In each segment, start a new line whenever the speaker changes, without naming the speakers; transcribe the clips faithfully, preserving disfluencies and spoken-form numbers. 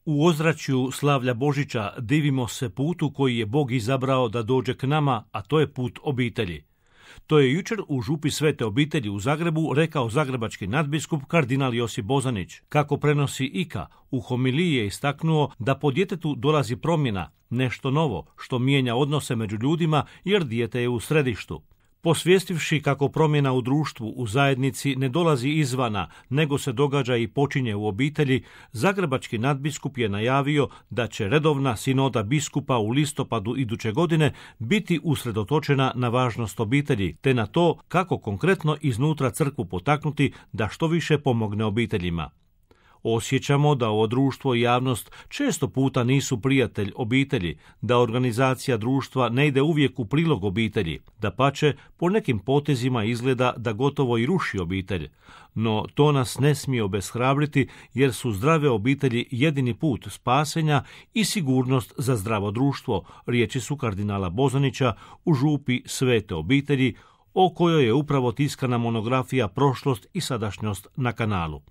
U ozračju slavlja Božića divimo se putu koji je Bog izabrao da dođe k nama, a to je put obitelji. To je jučer u župi Svete obitelji u Zagrebu rekao zagrebački nadbiskup kardinal Josip Bozanić. Kako prenosi I K A, u homiliji je istaknuo da po djetetu dolazi promjena, nešto novo, što mijenja odnose među ljudima jer dijete je u središtu. Posvijestivši kako promjena u društvu, u zajednici ne dolazi izvana, nego se događa i počinje u obitelji, zagrebački nadbiskup je najavio da će redovna sinoda biskupa u listopadu iduće godine biti usredotočena na važnost obitelji, te na to kako konkretno iznutra crkvu potaknuti da što više pomogne obiteljima. Osjećamo da ovo društvo i javnost često puta nisu prijatelj obitelji, da organizacija društva ne ide uvijek u prilog obitelji, dapače po nekim potezima izgleda da gotovo i ruši obitelj. No to nas ne smije obeshrabriti jer su zdrave obitelji jedini put spasenja i sigurnost za zdravo društvo, riječi su kardinala Bozanića u župi Svete obitelji, o kojoj je upravo tiskana monografija Prošlost i sadašnjost na kanalu.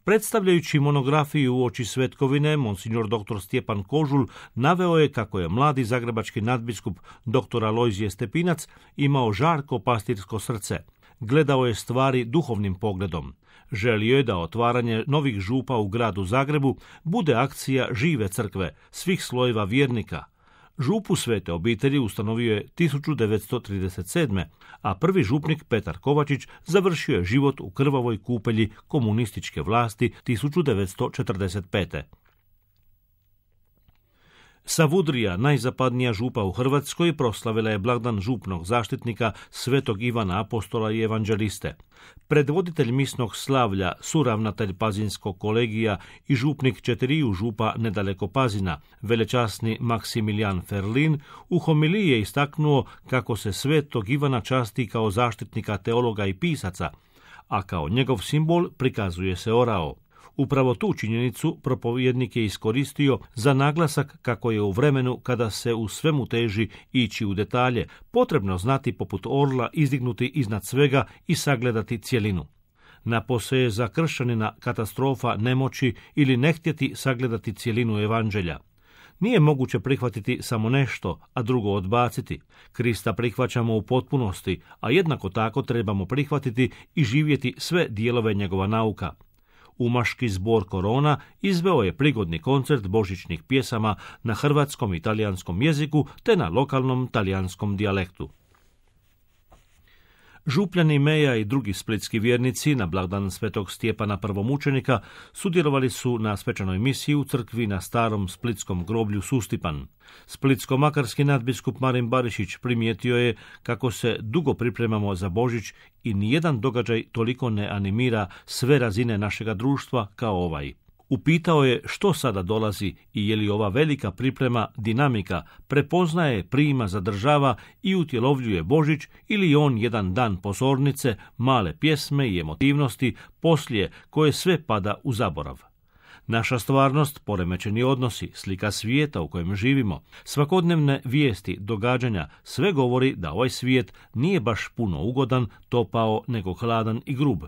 Predstavljajući monografiju uoči svetkovine, monsignor doktor Stjepan Kožul naveo je kako je mladi zagrebački nadbiskup doktor Alojzije Stepinac imao žarko pastirsko srce. Gledao je stvari duhovnim pogledom. Želio je da otvaranje novih župa u gradu Zagrebu bude akcija žive crkve, svih slojeva vjernika. Župu Svete obitelji ustanovio je tisuću devetsto trideset sedme. a prvi župnik Petar Kovačić završio je život u krvavoj kupelji komunističke vlasti tisuću devetsto četrdeset pete. Savudrija, najzapadnija župa u Hrvatskoj, proslavila je blagdan župnog zaštitnika svetog Ivana Apostola i evanđeliste. Predvoditelj misnog slavlja, suravnatelj Pazinskog kolegija i župnik četiriju župa nedaleko Pazina, velečasni Maksimilijan Ferlin, u homiliji je istaknuo kako se svetog Ivana časti kao zaštitnika teologa i pisaca, a kao njegov simbol prikazuje se orao. Upravo tu činjenicu propovjednik je iskoristio za naglasak kako je u vremenu kada se u svemu teži ići u detalje, potrebno znati poput orla izdignuti iznad svega i sagledati cjelinu. Napose je za kršćanina katastrofa nemoći ili ne htjeti sagledati cjelinu evanđelja. Nije moguće prihvatiti samo nešto, a drugo odbaciti. Krista prihvaćamo u potpunosti, a jednako tako trebamo prihvatiti i živjeti sve dijelove njegova nauka. Umaški zbor Korona izveo je prigodni koncert božićnih pjesama na hrvatskom i talijanskom jeziku te na lokalnom talijanskom dijalektu. Župljani Meja i drugi splitski vjernici na blagdan svetog Stjepana prvomučenika sudjelovali su na svečanoj misiji u crkvi na starom splitskom groblju Sustipan. Splitsko-makarski nadbiskup Marin Barišić primijetio je kako se dugo pripremamo za Božić i nijedan događaj toliko ne animira sve razine našega društva kao ovaj. Upitao je što sada dolazi i je li ova velika priprema, dinamika, prepoznaje, prima, zadržava i utjelovljuje Božić ili je on jedan dan pozornice, male pjesme i emotivnosti poslije koje sve pada u zaborav. Naša stvarnost, poremećeni odnosi, slika svijeta u kojem živimo, svakodnevne vijesti, događanja, sve govori da ovaj svijet nije baš puno ugodan, topao, nego hladan i grub.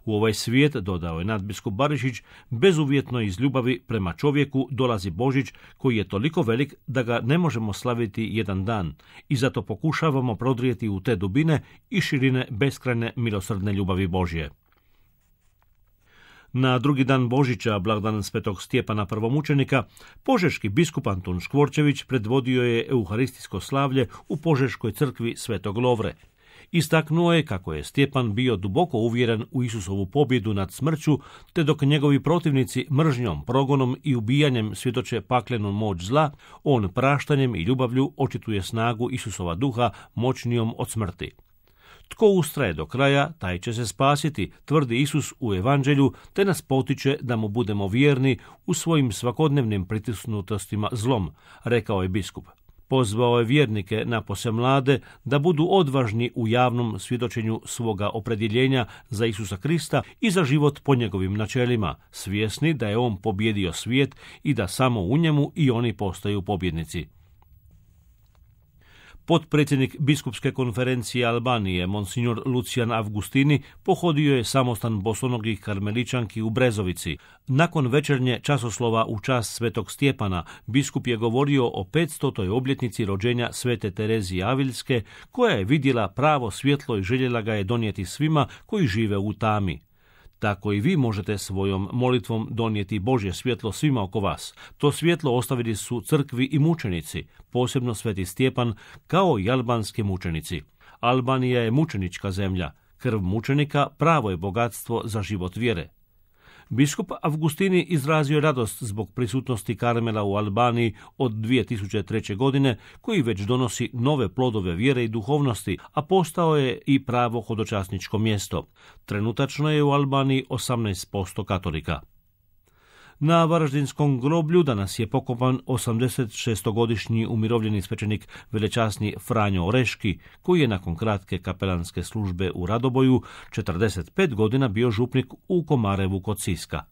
U ovaj svijet, dodao je nadbiskup Barišić, bezuvjetno iz ljubavi prema čovjeku dolazi Božić koji je toliko velik da ga ne možemo slaviti jedan dan i zato pokušavamo prodrijeti u te dubine i širine beskrajne milosrdne ljubavi Božje. Na drugi dan Božića, blagdan svetog Stjepana prvomučenika, požeški biskup Antun Škvorčević predvodio je euharistijsko slavlje u Požeškoj crkvi Svetog Lovre. Istaknuo je kako je Stjepan bio duboko uvjeren u Isusovu pobjedu nad smrću, te dok njegovi protivnici mržnjom, progonom i ubijanjem svjedoče paklenu moć zla, on praštanjem i ljubavlju očituje snagu Isusova duha moćnijom od smrti. Tko ustraje do kraja, taj će se spasiti, tvrdi Isus u evanđelju, te nas potiče da mu budemo vjerni u svojim svakodnevnim pritisnutostima zlom, rekao je biskup. Pozvao je vjernike, napose mlade, da budu odvažni u javnom svjedočenju svoga opredjeljenja za Isusa Krista i za život po njegovim načelima, svjesni da je on pobjedio svijet i da samo u njemu i oni postaju pobjednici. Potpredsjednik biskupske konferencije Albanije, monsignor Lucijan Avgustini, pohodio je samostan bosonogih karmeličanki u Brezovici. Nakon večernje časoslova u čast svetog Stjepana, biskup je govorio o petstotoj obljetnici rođenja svete Terezije Aviljske, koja je vidjela pravo svjetlo i željela ga je donijeti svima koji žive u tami. Tako i vi možete svojom molitvom donijeti Božje svjetlo svima oko vas. To svjetlo ostavili su crkvi i mučenici, posebno sveti Stjepan, kao i albanski mučenici. Albanija je mučenička zemlja. Krv mučenika pravo je bogatstvo za život vjere. Biskup Avgustini izrazio radost zbog prisutnosti Karmela u Albaniji od dvije tisuće treće. godine, koji već donosi nove plodove vjere i duhovnosti, a postao je i pravo hodočasničko mjesto. Trenutačno je u Albaniji osamnaest posto katolika. Na Varaždinskom groblju danas je pokopan osamdeset šestogodišnji umirovljeni svećenik velečasni Franjo Oreški, koji je nakon kratke kapelanske službe u Radoboju četrdeset pet godina bio župnik u Komarevu kod Siska.